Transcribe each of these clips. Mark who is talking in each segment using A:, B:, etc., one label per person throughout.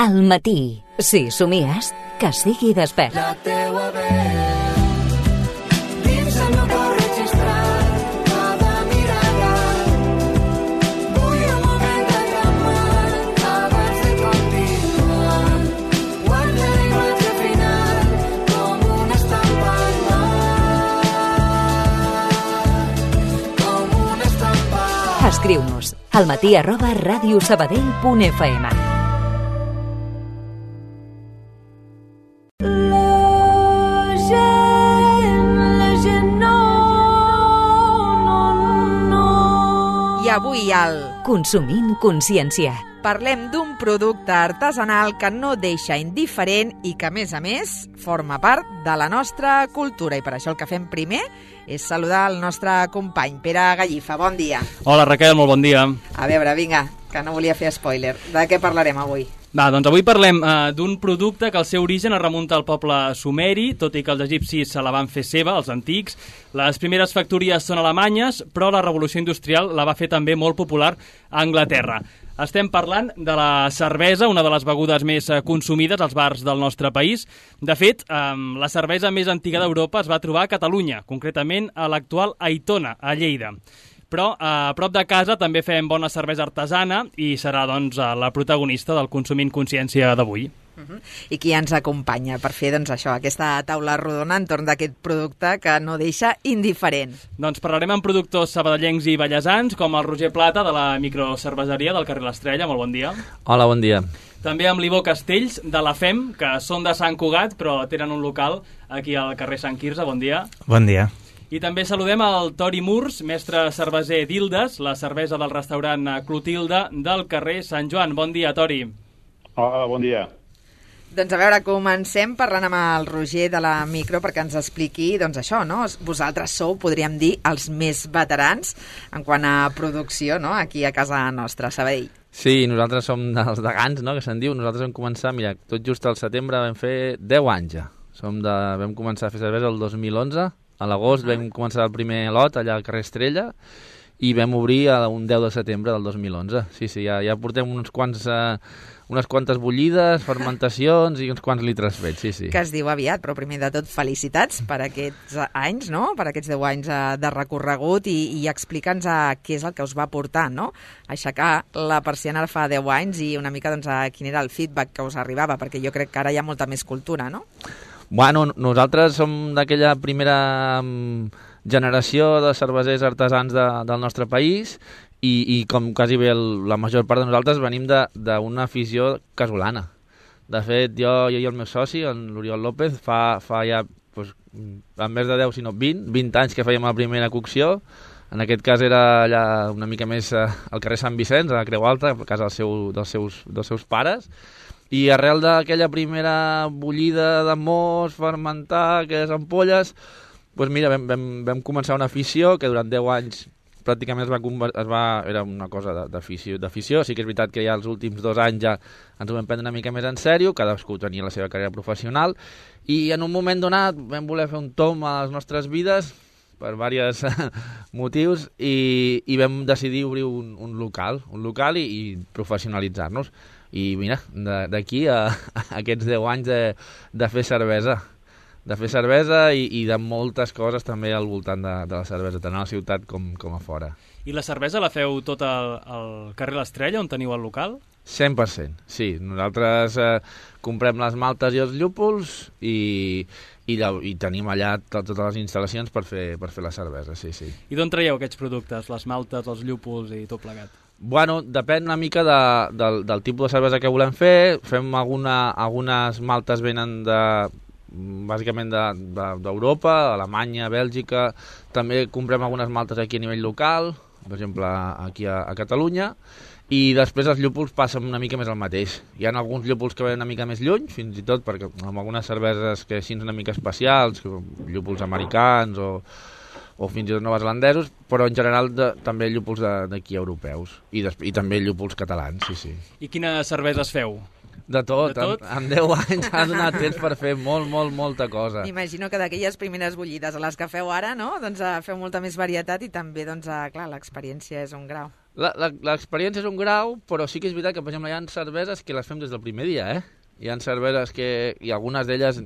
A: Al matí. Si somies, que sigui despert.
B: La teua veu dins el meu cor registrat cada mirada. Vull un moment de calmar abans de continuar. Guarda la imatge final com una estampa al mar. Com una estampa.
A: Escriu-nos almatí@radiosabadell.fm.
C: I avui al
A: Consumint consciència.
C: parlem d'un producte artesanal que no deixa indiferent i que, a més, forma part de la nostra cultura. I per això el que fem primer és saludar el nostre company, Pere Gallifa. Bon dia.
D: Hola, Raquel, molt bon dia.
C: A veure, vinga, que no volia fer spoiler. De què parlarem avui?
D: Va, doncs avui parlem d'un producte que el seu origen es remunta al poble sumeri, tot i que els egipcis se la van fer seva, els antics. Les primeres factories són alemanyes, però la revolució industrial la va fer també molt popular a Anglaterra. Estem parlant de la cervesa, una de les begudes més consumides als bars del nostre país. De fet, la cervesa més antiga d'Europa es va trobar a Catalunya, concretament a l'actual Aitona, a Lleida. Però a prop de casa també fem bona cervesa artesana i serà doncs, la protagonista del Consumint Consciència d'avui.
C: I qui ens acompanya per fer això, aquesta taula rodona entorn d'aquest producte que no deixa indiferent?
D: Doncs parlarem amb productors sabadellencs i ballesans, com el Roger Plata, de la microcerveseria del carrer L'Estrella. Molt bon dia.
E: Hola, bon dia.
D: També amb l'Ivo Castells, de la FEM, que són de Sant Cugat, però tenen un local aquí al carrer Sant Quirze. Bon dia.
F: Bon dia.
D: I també saludem el Tori Murs, mestre cerveser d'Ildes, la cervesa del restaurant Clotilde del carrer Sant Joan. Bon dia, Tori.
G: Hola, bon dia.
C: Doncs a veure, comencem parlant amb el Roger de la Micro perquè ens expliqui això, no? Vosaltres sou, podríem dir, els més veterans en quant a producció, no?, aquí a casa nostra, a Sabadell.
E: Sí, nosaltres som dels degans, no?, que se'n diu. Nosaltres vam començar, mira, tot just al setembre vam fer 10 anys ja. Vam començar a fer cervesa el 2011, a l'agost vam començar el primer lot allà al carrer Estrella i vam obrir un 10 de setembre del 2011. Sí, ja portem unes quantes bullides, fermentacions i uns quants litres fets, sí.
C: Que es diu aviat, però primer de tot felicitats per aquests anys, no?, per aquests 10 anys de recorregut i explica'ns què és el que us va portar, no?, aixecar la persiana fa 10 anys i una mica quin era el feedback que us arribava, perquè jo crec que ara hi ha molta més cultura, no?
E: Bueno, nosaltres som d'aquella primera generació de cervesers artesans del nostre país i com quasi bé la major part de nosaltres venim d'una afició casolana. De fet, jo i el meu soci, l'Oriol López, fa ja en més de 10, sinó 20 anys que fèiem la primera cocció. En aquest cas era allà una mica més al carrer Sant Vicenç, a la Creu Alta, a casa dels seus pares. I arrel d'aquella primera bullida de most, fermentar, aquelles ampolles, doncs mira, vam començar una afició que durant 10 anys pràcticament era una cosa d'afició. Sí que és veritat que ja els últims 2 anys ja ens ho vam prendre una mica més en sèrio, cadascú tenia la seva carrera professional, i en un moment donat vam voler fer un tomb a les nostres vides per diversos motius i vam decidir obrir un local i professionalitzar-nos. I mira, d'aquí a aquests 10 anys de fer cervesa. De fer cervesa i de moltes coses també al voltant de la cervesa, tant a la ciutat com a fora.
D: I la cervesa la feu tot al carrer L'Estrella, on teniu el local?
E: 100%, sí. Nosaltres comprem les maltes i els llúpols i tenim allà totes les instal·lacions per fer la cervesa, sí.
D: I d'on traieu aquests productes, les maltes, els llúpols i tot plegat?
E: Bueno, depèn una mica del tipus de cervesa que volem fer. Fem algunes maltes venen bàsicament d'Europa, Alemanya, Bèlgica. També comprem algunes maltes aquí a nivell local, per exemple aquí a Catalunya, i després els llúpols passen una mica més el mateix. Hi ha alguns llúpols que venen una mica més lluny, fins i tot perquè amb algunes cerveses que així una mica especials, llúpols americans o fins i tot neozelandesos, però en general també llúpols d'aquí europeus i també llúpols catalans, sí.
D: I quines cerveses feu?
E: De tot. En 10 anys ha donat temps per fer molta cosa.
C: M'imagino que d'aquelles primeres bullides a les que feu ara, no?, doncs feu molta més varietat i també, clar, l'experiència és un grau.
E: L'experiència és un grau, però sí que és veritat que, per exemple, hi ha cerveses que les fem des del primer dia, Hi ha cerveses i algunes d'elles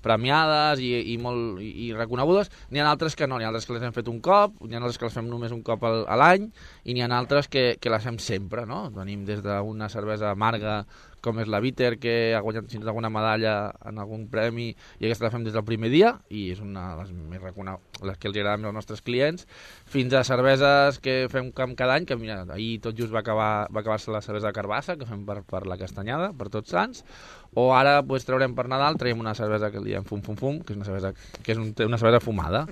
E: premiades i reconegudes, n'hi ha altres que no, n'hi ha altres que les hem fet un cop, n'hi ha altres que les fem només un cop a l'any, i n'hi ha altres que les fem sempre, no? Venim des d'una cervesa amarga com és la Bitter, que ha guanyat fins alguna medalla en algun premi, i aquesta la fem des del primer dia, i és una de les més reconegudes, les que els agraden als nostres clients, fins a cerveses que fem cada any, que mira, ahir tot just va acabar-se la cervesa de carbassa, que fem per la Castanyada, per Tots Sants, o ara traurem per Nadal, traiem una cervesa que li diem Fum Fum Fum, que és una cervesa fumada,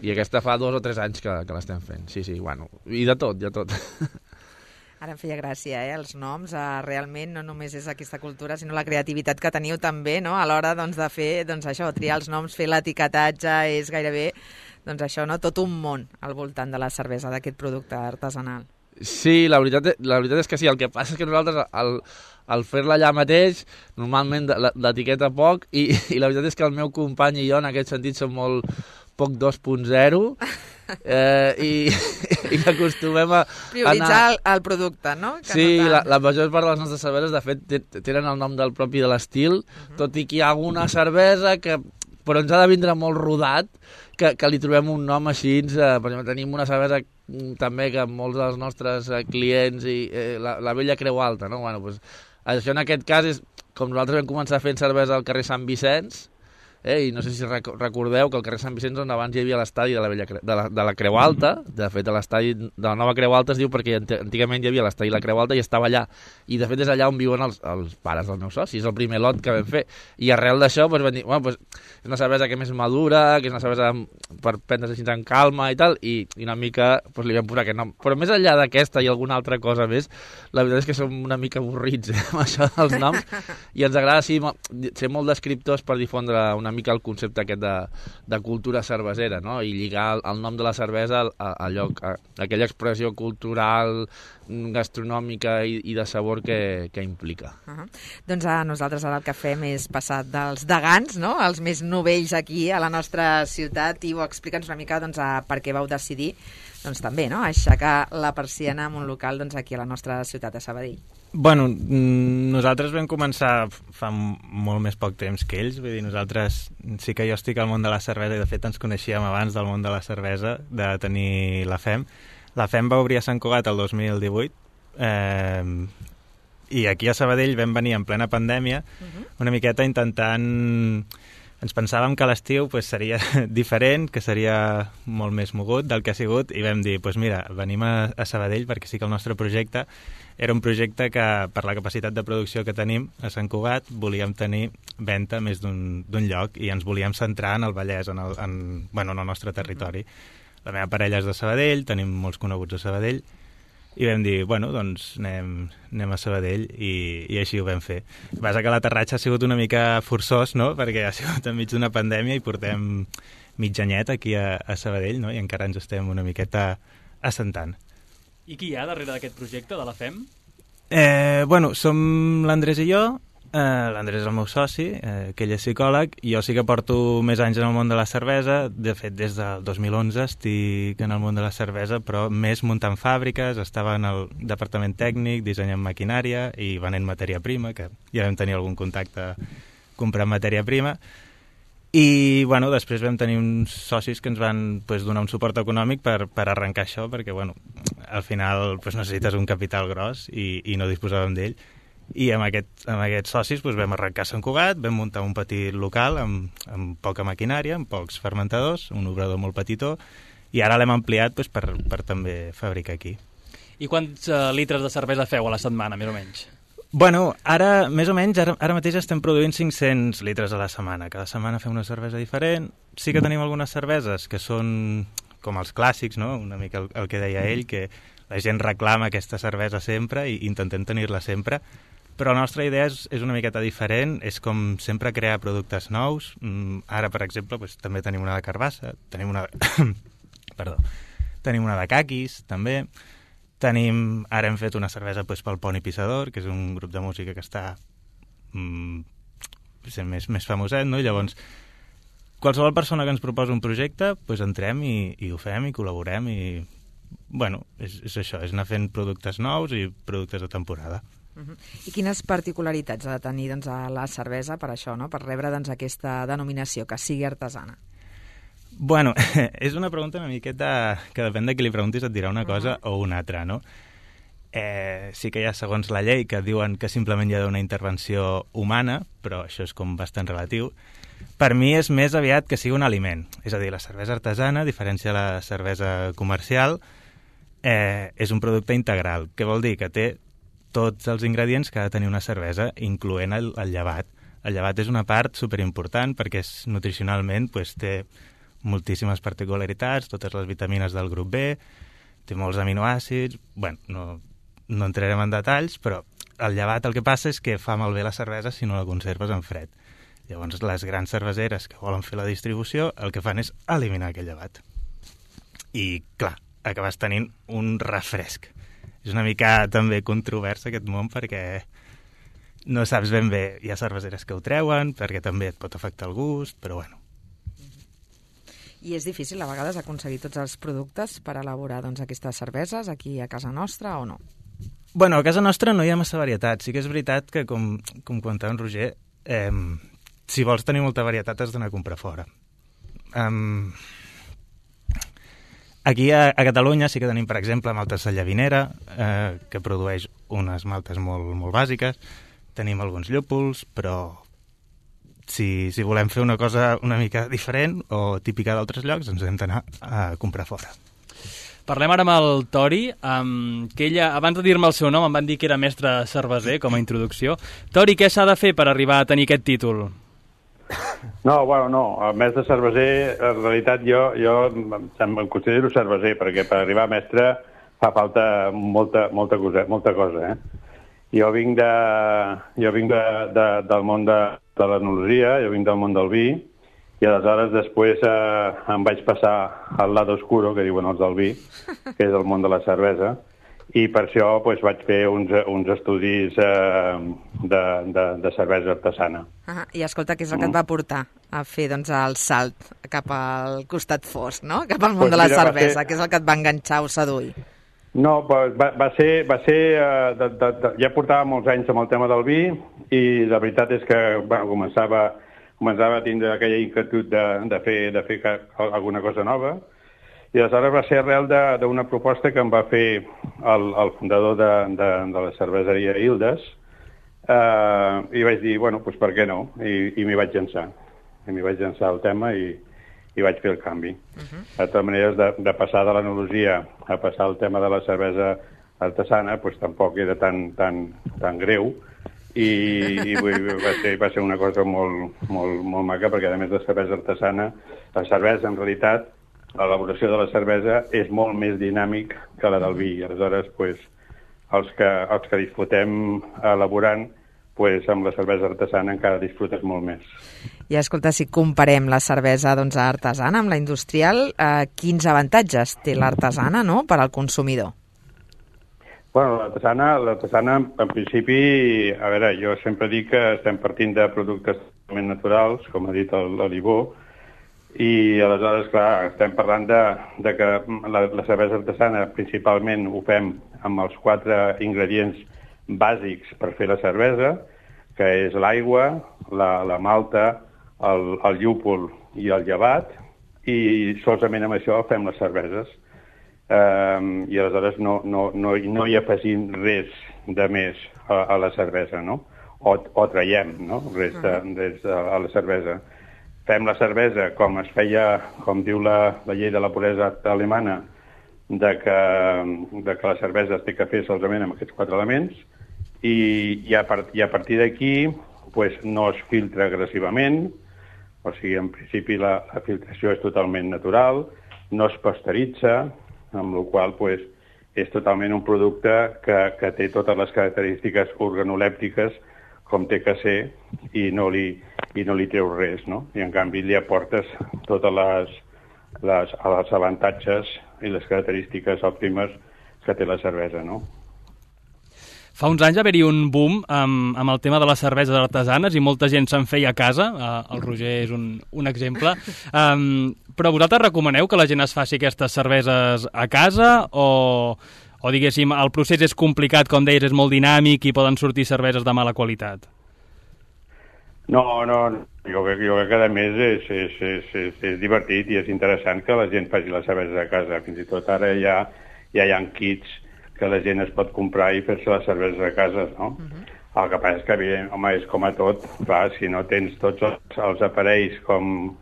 E: i aquesta fa 2 o 3 anys que l'estem fent. Sí, bueno, i de tot.
C: Ara em feia gràcia, els noms. Realment no només és aquesta cultura, sinó la creativitat que teniu també, no? A l'hora de fer això, triar els noms, fer l'etiquetatge, és gairebé això, no? Tot un món al voltant de la cervesa, d'aquest producte artesanal.
E: Sí, la veritat és que sí. El que passa és que nosaltres, al fer-la allà mateix, normalment l'etiqueta poc, i la veritat és que el meu company i jo en aquest sentit som molt poc 2.0, i acostumem a
C: prioritzar el producte, no? Que
E: sí,
C: no
E: la major part de les nostres cerveses, de fet, tenen el nom del propi de l'estil, tot i que hi ha alguna cervesa que però ens ha de vindre molt rodat, que li trobem un nom així. Per exemple, tenim una cervesa també que molts dels nostres clients, la Vella Creu Alta, no? Bueno, doncs, això en aquest cas és com nosaltres vam començar fent cervesa al carrer Sant Vicenç, i no sé si recordeu que al carrer Sant Vicenç, on abans hi havia l'estadi de la Creu Alta, de fet l'estadi de la nova Creu Alta es diu perquè antigament hi havia l'estadi de la Creu Alta i estava allà, i de fet és allà on viuen els pares dels meus socis, és el primer lot que vam fer, i arrel d'això vam dir, és una cervesa que és més madura, que és una cervesa per prendre's així en calma i tal, i una mica li vam posar aquest nom, però més enllà d'aquesta i alguna altra cosa més, la veritat és que som una mica avorrits amb això dels noms, i ens agrada ser molt descriptors per difondre una mica el concepte aquest de cultura cervesera, no? I lligar el nom de la cervesa a aquella expressió cultural, gastronòmica i de sabor que implica.
C: Doncs nosaltres ara el que fem és passar dels degans, no?, els més novells aquí a la nostra ciutat, i explica'ns una mica per què vau decidir també, no?, aixecar la persiana en un local aquí a la nostra ciutat de Sabadell.
F: Bueno, nosaltres vam començar fa molt més poc temps que ells, vull dir, nosaltres sí que jo estic al món de la cervesa i de fet ens coneixíem abans del món de la cervesa, de tenir la FEM. La FEM va obrir a Sant Cugat el 2018 i aquí a Sabadell vam venir en plena pandèmia una miqueta intentant... Ens pensàvem que l'estiu seria diferent, que seria molt més mogut del que ha sigut, i vam dir, mira, venim a Sabadell perquè sí que el nostre projecte era un projecte que, per la capacitat de producció que tenim a Sant Cugat, volíem tenir venda més d'un lloc i ens volíem centrar en el Vallès, en el nostre territori. La meva parella és de Sabadell, tenim molts coneguts a Sabadell, i vam dir, doncs anem a Sabadell, i així ho vam fer. El que passa que l'aterratge ha sigut una mica forçós, no?, perquè ha sigut enmig d'una pandèmia i portem mig anyet aquí a Sabadell, no?, i encara ens estem una miqueta assentant.
D: I qui hi ha darrere d'aquest projecte de la FEM?
F: Som l'Andrés i jo. L'Andrés és el meu soci, que ell és psicòleg, i jo sí que porto més anys en el món de la cervesa. De fet, des del 2011 estic en el món de la cervesa, però més muntant fàbriques, estava en el departament tècnic, dissenyant maquinària i venent matèria prima, que ja vam tenir algun contacte comprant matèria prima. I després vam tenir uns socis que ens van donar un suport econòmic per arrencar això, perquè al final necessites un capital gros i no disposàvem d'ell. I amb aquests socis vam arrencar Sant Cugat, vam muntar un petit local amb poca maquinària, amb pocs fermentadors, un obrador molt petitó, i ara l'hem ampliat per també fabricar aquí.
D: I quants litres de cervesa feu a la setmana, més o menys?
F: Ara, més o menys, ara mateix estem produint 500 litres a la setmana. Cada setmana fem una cervesa diferent. Sí que tenim algunes cerveses que són com els clàssics, no?, una mica el que deia ell, que la gent reclama aquesta cervesa sempre i intentem tenir-la sempre. Però la nostra idea és una miqueta diferent, és com sempre crear productes nous. Ara, per exemple, també tenim una de carbassa, tenim una de caquis, també. Ara hem fet una cervesa pel Poni Pissador, que és un grup de música que està més famoset, no? Llavors, qualsevol persona que ens proposa un projecte, entrem i ho fem i col·laborem bueno, és això, és anar fent productes nous i productes de temporada.
C: I quines particularitats ha de tenir doncs, la cervesa per això, no? Per rebre doncs, aquesta denominació, que sigui artesana?
F: Bueno, és una pregunta una miqueta que depèn de qui li preguntis et dirà una cosa o una altra, no? Sí que hi ha, segons la llei, que diuen que simplement hi ha d'una intervenció humana, però això és com bastant relatiu. Per mi és més aviat que sigui un aliment. És a dir, la cervesa artesana, a diferència de la cervesa comercial, és un producte integral. Què vol dir? Que té tots els ingredients que ha de tenir una cervesa, incloent el llevat. El llevat és una part superimportant perquè nutricionalment té moltíssimes particularitats, totes les vitamines del grup B, té molts aminoàcids. Bueno, no entrarem en detalls, però el llevat el que passa és que fa malbé la cervesa si no la conserves en fred. Llavors, les grans cerveseres que volen fer la distribució el que fan és eliminar aquell llevat. I, clar, acabes tenint un refresc. És una mica també controvers aquest món perquè no saps ben bé. Hi ha cerveseres que ho treuen perquè també et pot afectar el gust, però bueno.
C: I és difícil a vegades aconseguir tots els productes per elaborar doncs, aquestes cerveses aquí a casa nostra o no?
F: Bueno, a casa nostra no hi ha massa varietat. Sí que és veritat que, com comentava en Roger, si vols tenir molta varietat has d'anar a comprar fora. Aquí a Catalunya sí que tenim, per exemple, maltes de Llavinera, que produeix unes maltes molt, molt bàsiques. Tenim alguns llúpols, però si volem fer una cosa una mica diferent o típica d'altres llocs, ens hem d'anar a comprar fora.
D: Parlem ara amb el Tori, que ella, abans de dir-me el seu nom, em van dir que era mestre cerveser, com a introducció. Tori, què s'ha de fer per arribar a tenir aquest títol?
G: No, bueno, no. El mestre cerveser, en realitat, jo em considero cerveser, perquè per arribar a mestre fa falta molta cosa, Jo vinc del món de l'enologia, jo vinc del món del vi, i aleshores després em vaig passar al lado oscuro, que diuen els del vi, que és el món de la cervesa, i per això vaig fer uns estudis de cervesa artesana.
C: I escolta, què és el que et va portar a fer doncs, el salt cap al costat fosc, no? Cap al món de la cervesa? Què és el que et va enganxar o seduir?
G: No, va ser ja portava molts anys amb el tema del vi i la veritat és que començava a tindre aquella inquietud de fer alguna cosa nova. I aleshores va ser arrel d'una proposta que em va fer el fundador de la cerveseria Ildes, i vaig dir, bueno, doncs per què no? I m'hi vaig llançar. M'hi vaig llançar el tema i vaig fer el canvi. De totes maneres, de passar de l'enologia a passar al tema de la cervesa artesana, doncs tampoc era tan greu, i va ser una cosa molt maca, perquè a més de cervesa artesana, la cervesa en realitat, l'elaboració de la cervesa és molt més dinàmic que la del vi. Aleshores, els que disfrutem elaborant, amb la cervesa artesana encara disfrutes molt més.
C: I escolta, si comparem la cervesa artesana amb la industrial, quins avantatges té l'artesana, no?, per al consumidor?
G: Bueno, l'artesana, en principi, a veure, jo sempre dic que estem partint de productes totalment naturals, com ha dit l'Alibó, i aleshores, clar, estem parlant de que la cervesa artesana principalment ho fem amb els 4 ingredients bàsics per fer la cervesa, que és l'aigua, la malta, el llúpol i el llevat, i solament amb això fem les cerveses. I aleshores no hi afegim res de més a la cervesa, no? O traiem, no?, res a la cervesa. Fem la cervesa com es feia, com diu la llei de la puresa alemana, de que la cervesa es té que fer solament amb aquests 4 elements, i a partir d'aquí no es filtra agressivament, o sigui, en principi la filtració és totalment natural, no es pasteuritza, amb la qual cosa és totalment un producte que té totes les característiques organolèptiques com té que ser, i no li treu res, no? I en canvi li aportes totes els avantatges i les característiques òptimes que té la cervesa, no?
D: Fa uns anys va haver-hi un boom amb el tema de les cerveses artesanes i molta gent se'n feia a casa. El Roger és un exemple. Però vosaltres recomaneu que la gent es faci aquestes cerveses a casa o diguéssim, el procés és complicat, com deies, és molt dinàmic i poden sortir cerveses de mala qualitat?
G: No, jo crec que a més és divertit i és interessant que la gent faci les cerveses a casa. Fins i tot ara ja hi ha kits que la gent es pot comprar i fer-se les cerveses a casa, no? El que passa és que, home, és com a tot, clar, si no tens tots els aparells com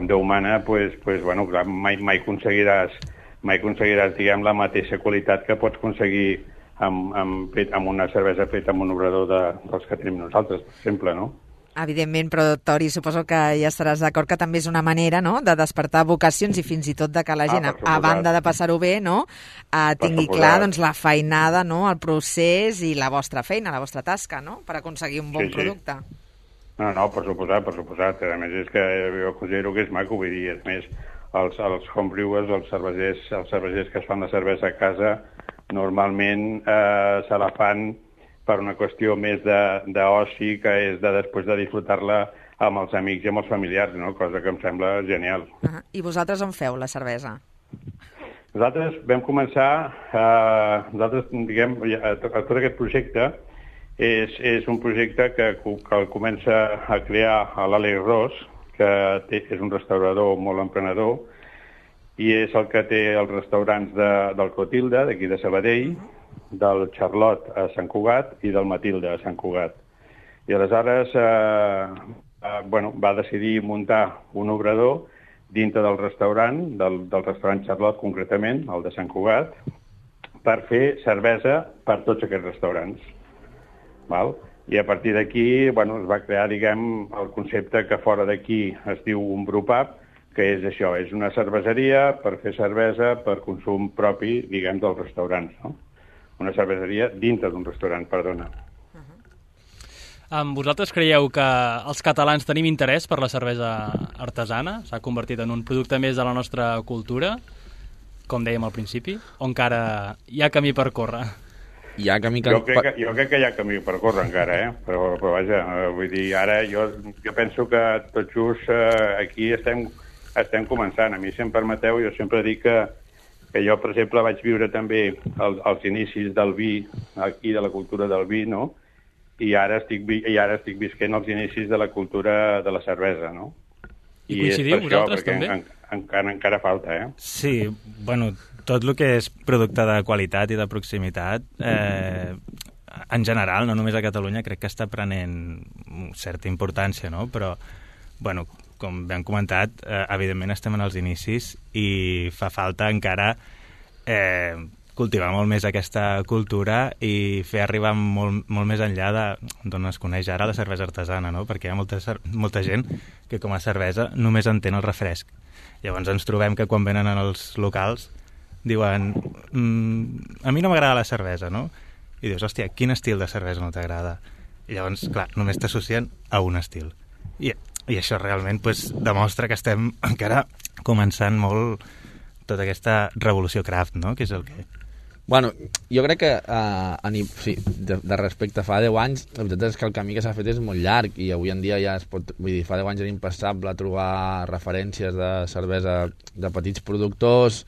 G: Déu mana, pues, bueno, clar, mai aconseguiràs, diguem, la mateixa qualitat que pots aconseguir amb una cervesa feta amb un obrador dels que tenim nosaltres, per exemple, no?
C: Evidentment, però Tori, suposo que ja estaràs d'acord que també és una manera, no?, de despertar vocacions i fins i tot de que la gent, a banda de passar-ho bé, no?, tingui clar, doncs, la feinada, no?, el procés i la vostra feina, la vostra tasca, no?, per aconseguir un bon producte.
G: No, per suposat. A més, és que jo considero que és maco, vull dir, és més, els homebrewers, els cervesers que es fan la cervesa a casa, normalment se la fan per una qüestió més d'oci, que és de després de disfrutar-la amb els amics i amb els familiars, no? Cosa que em sembla genial.
C: I vosaltres on feu la cervesa?
G: Nosaltres vam començar, diguem, tot aquest projecte és un projecte que el comença a crear l'Àlex Ros, que és un restaurador molt emprenedor, i és el que té els restaurants del Clotilde, d'aquí de Sabadell, del Charlot a Sant Cugat i del Matilde a Sant Cugat. I aleshores va decidir muntar un obrador dintre del restaurant, del restaurant Charlot concretament, el de Sant Cugat, per fer cervesa per tots aquests restaurants. Val? I a partir d'aquí es va crear, diguem, el concepte que fora d'aquí es diu un brewpub, que és això, és una cerveseria per fer cervesa per consum propi, diguem, dels restaurants, no? Una cerveseria dintre d'un restaurant, perdona.
D: Vosaltres creieu que els catalans tenim interès per la cervesa artesana? S'ha convertit en un producte més de la nostra cultura, com dèiem al principi, o encara hi ha camí per córrer?
G: Jo crec que hi ha camí per córrer encara, però vaja, vull dir, ara jo penso que tot just aquí estem començant. A mi, si em permeteu, jo sempre dic que jo, per exemple, vaig viure també els inicis del vi, aquí de la cultura del vi, no? I ara estic visquent els inicis de la cultura de la cervesa, no?
D: I coincidiu vosaltres també?
G: Encara falta,
F: Sí, bueno, tot el que és producte de qualitat i de proximitat, en general, no només a Catalunya, crec que està prenent certa importància, no? Però, bueno, com ben comentat, evidentment estem en els inicis i fa falta encara cultivar molt més aquesta cultura i fer arribar molt més enllà d'on es coneix ara la cervesa artesana, no? Perquè hi ha molta gent que com a cervesa només entén el refresc. Llavors ens trobem que quan venen als locals diuen a mi no m'agrada la cervesa, no? I dius, hòstia, quin estil de cervesa no t'agrada? I llavors, clar, només t'associen a un estil. I això realment demostra que estem encara començant molt tota aquesta revolució craft, no? Que és el que...
E: Bueno, jo crec que de respecte a fa 10 anys, la veritat és que el camí que s'ha fet és molt llarg i avui en dia ja es pot... Vull dir, fa 10 anys era impensable trobar referències de cervesa de petits productors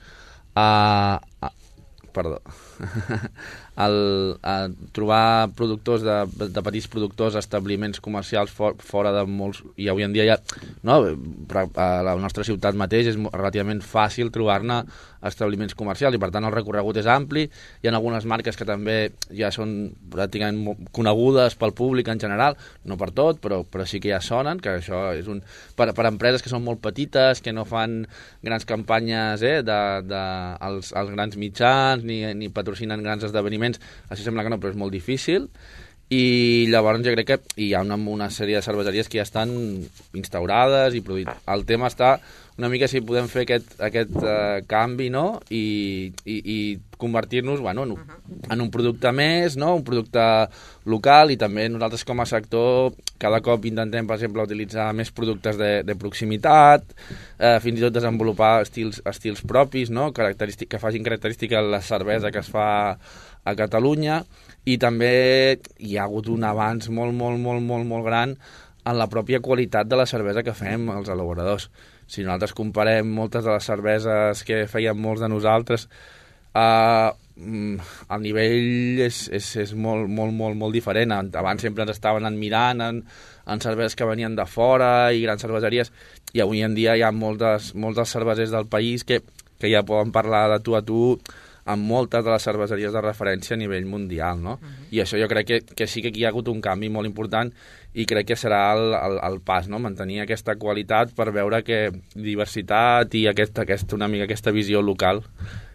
E: trobar productors de petits productors, establiments comercials fora de molts, i avui en dia ja no, a la nostra ciutat mateix és relativament fàcil trobar-ne establiments comercials i per tant el recorregut és ampli. Hi ha algunes marques que també ja són pràcticament conegudes pel públic en general, no per tot, però sí que ja sonen, que això és per empreses que són molt petites, que no fan grans campanyes als grans mitjans ni patrocinen grans esdeveniments, això sembla que no, però és molt difícil. I llavors jo crec que hi ha una sèrie de cerveseries que ja estan instaurades i produït. El tema està una mica si podem fer aquest canvi, no? I convertir-nos en un producte més, no? Un producte local, i també nosaltres com a sector cada cop intentem, per exemple, utilitzar més productes de proximitat, fins i tot desenvolupar estils propis, no? Que facin característica la cervesa que es fa a Catalunya, i també hi ha hagut un avanç molt gran en la pròpia qualitat de la cervesa que fem els elaboradors. Si nosaltres comparem moltes de les cerveses que feien molts de nosaltres, el nivell és molt diferent. Abans sempre ens estaven admirant en cerveses que venien de fora i grans cerveseries, i avui en dia hi ha molts dels cervesers del país que ja poden parlar de tu a tu amb moltes de les cerveseries de referència a nivell mundial, no? I això jo crec que sí que aquí hi ha hagut un canvi molt important, i crec que serà el pas, no? Mantenir aquesta qualitat per veure que diversitat i una mica aquesta visió local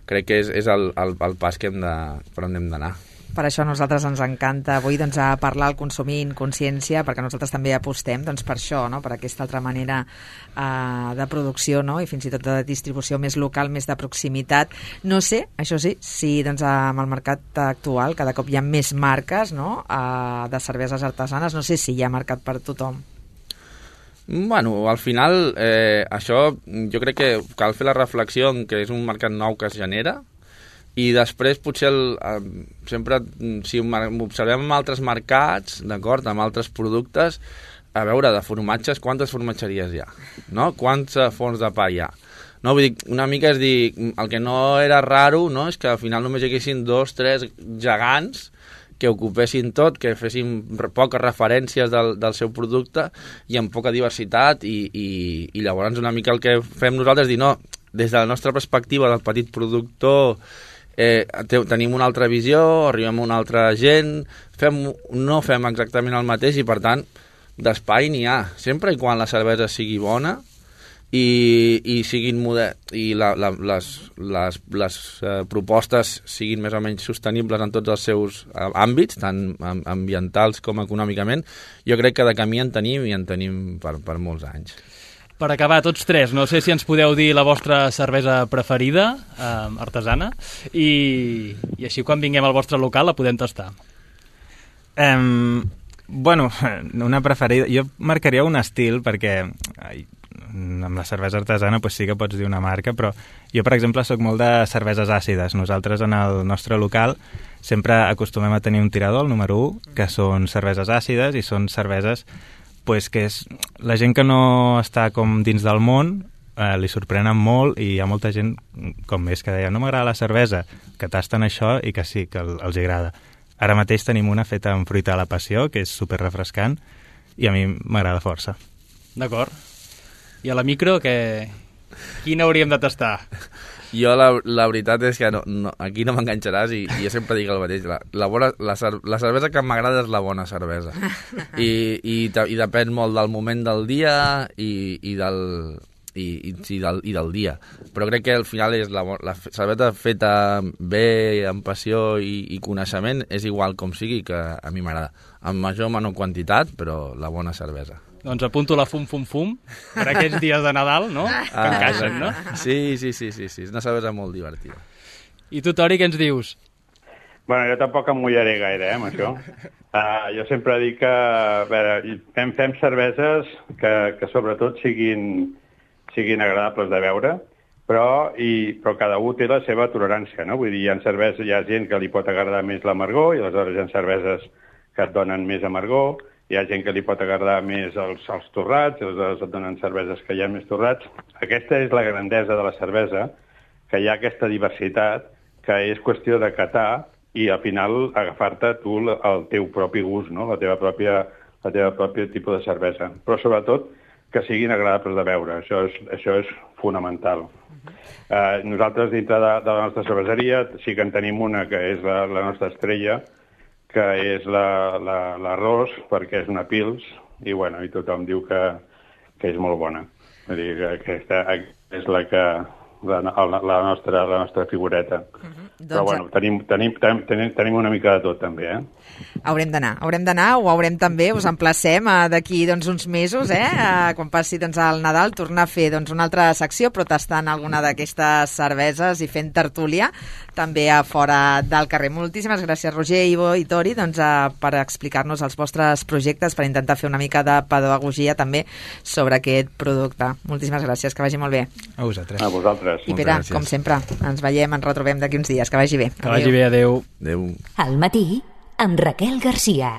E: crec que és el pas per on hem d'anar.
C: Per això a nosaltres ens encanta avui doncs, a parlar al consumir consciència, perquè nosaltres també apostem doncs, per això, no? Per aquesta altra manera de producció, no? I fins i tot de distribució més local, més de proximitat. No sé, això sí, si doncs, amb el mercat actual cada cop hi ha més marques, no? De cerveses artesanes, no sé si hi ha mercat per tothom.
E: Bueno, al final, això jo crec que cal fer la reflexió en que és un mercat nou que es genera, i després potser sempre, si observem en altres mercats, d'acord, amb altres productes, a veure, de formatges, quantes formatgeries hi ha? No? Quants forns de pa hi ha? No, vull dir, una mica és dir, el que no era raro, no?, és que al final només hi haguessin 2, 3 gegants que ocupessin tot, que fessin poques referències del seu producte i amb poca diversitat, i llavors una mica el que fem nosaltres és dir, no, des de la nostra perspectiva del petit productor, tenim una altra visió, arribem a una altra gent, no fem exactament el mateix, i per tant d'espai n'hi ha, sempre i quan la cervesa sigui bona i siguin i les propostes siguin més o menys sostenibles en tots els seus àmbits, tant ambientals com econòmicament. Jo crec que de camí en tenim, i en tenim per molts anys.
D: Per acabar, tots tres, no sé si ens podeu dir la vostra cervesa preferida, artesana, i així quan vinguem al vostre local la podem tastar.
F: Bueno, una preferida... Jo marcaria un estil, perquè amb la cervesa artesana pues sí que pots dir una marca, però jo, per exemple, sóc molt de cerveses àcides. Nosaltres, en el nostre local, sempre acostumem a tenir un tirador, el número 1, que són cerveses àcides, i són cerveses pues, que és la gent que no està com dins del món, li sorprenen molt, i hi ha molta gent com més que deia, no m'agrada la cervesa, que tasten això i que sí, que els agrada. Ara mateix tenim una feta amb fruita de la passió, que és super refrescant, i a mi m'agrada força.
D: D'acord. I a la micro, quina hauríem de tastar?
E: Jo la veritat és que aquí no m'enganxaràs, i jo sempre dic el mateix. La cervesa que m'agrada és la bona cervesa. I depèn molt del moment del dia i del dia. Però crec que al final és la cervesa feta bé, amb passió i coneixement, és igual com sigui, que a mi m'agrada. En major o menor quantitat, però la bona cervesa.
D: Doncs apunto la fum per aquests dies de Nadal, no? Que encaixen, no?
E: Sí, és una cervesa molt divertida.
D: I tu, Tori, què ens dius?
G: Bueno, jo tampoc em mullaré gaire, amb això. Jo sempre dic que, a veure, fem cerveses que sobretot siguin agradables de beure, però cada un té la seva tolerància, no? Vull dir, hi ha gent que li pot agradar més l'amargor, i aleshores hi ha cerveses que et donen més amargor, hi ha gent que li pot agradar més els torrats, aleshores et donen cerveses que hi ha més torrats. Aquesta és la grandesa de la cervesa, que hi ha aquesta diversitat, que és qüestió de catar i al final agafar-te tu el teu propi gust, no? La teva pròpia tipus de cervesa. Però sobretot que siguin agradables de beure, això és fonamental. Nosaltres dintre de la nostra cerveseria sí que en tenim una que és la nostra estrella, que és l'arròs, perquè és una pils, i tothom diu que és molt bona. Vull dir que aquesta és la nostra figureta. Però tenim una mica de tot també,
C: Haurem d'anar, ho haurem també, us emplacem d'aquí uns mesos, quan passi el Nadal, tornar a fer una altra secció, però tastant alguna d'aquestes cerveses i fent tertúlia, també a fora del carrer. Moltíssimes gràcies, Roger, Ivo i Tori, per explicar-nos els vostres projectes, per intentar fer una mica de pedagogia també sobre aquest producte. Moltíssimes gràcies, que vagi molt bé.
F: A vosaltres.
G: A vosaltres. vosaltres.
C: I Pere, com sempre, ens veiem, ens retrobem d'aquí uns dies. Que vagi bé.
D: Que vagi bé, adeu.
E: Adéu.
A: Al matí, amb Raquel Garcia.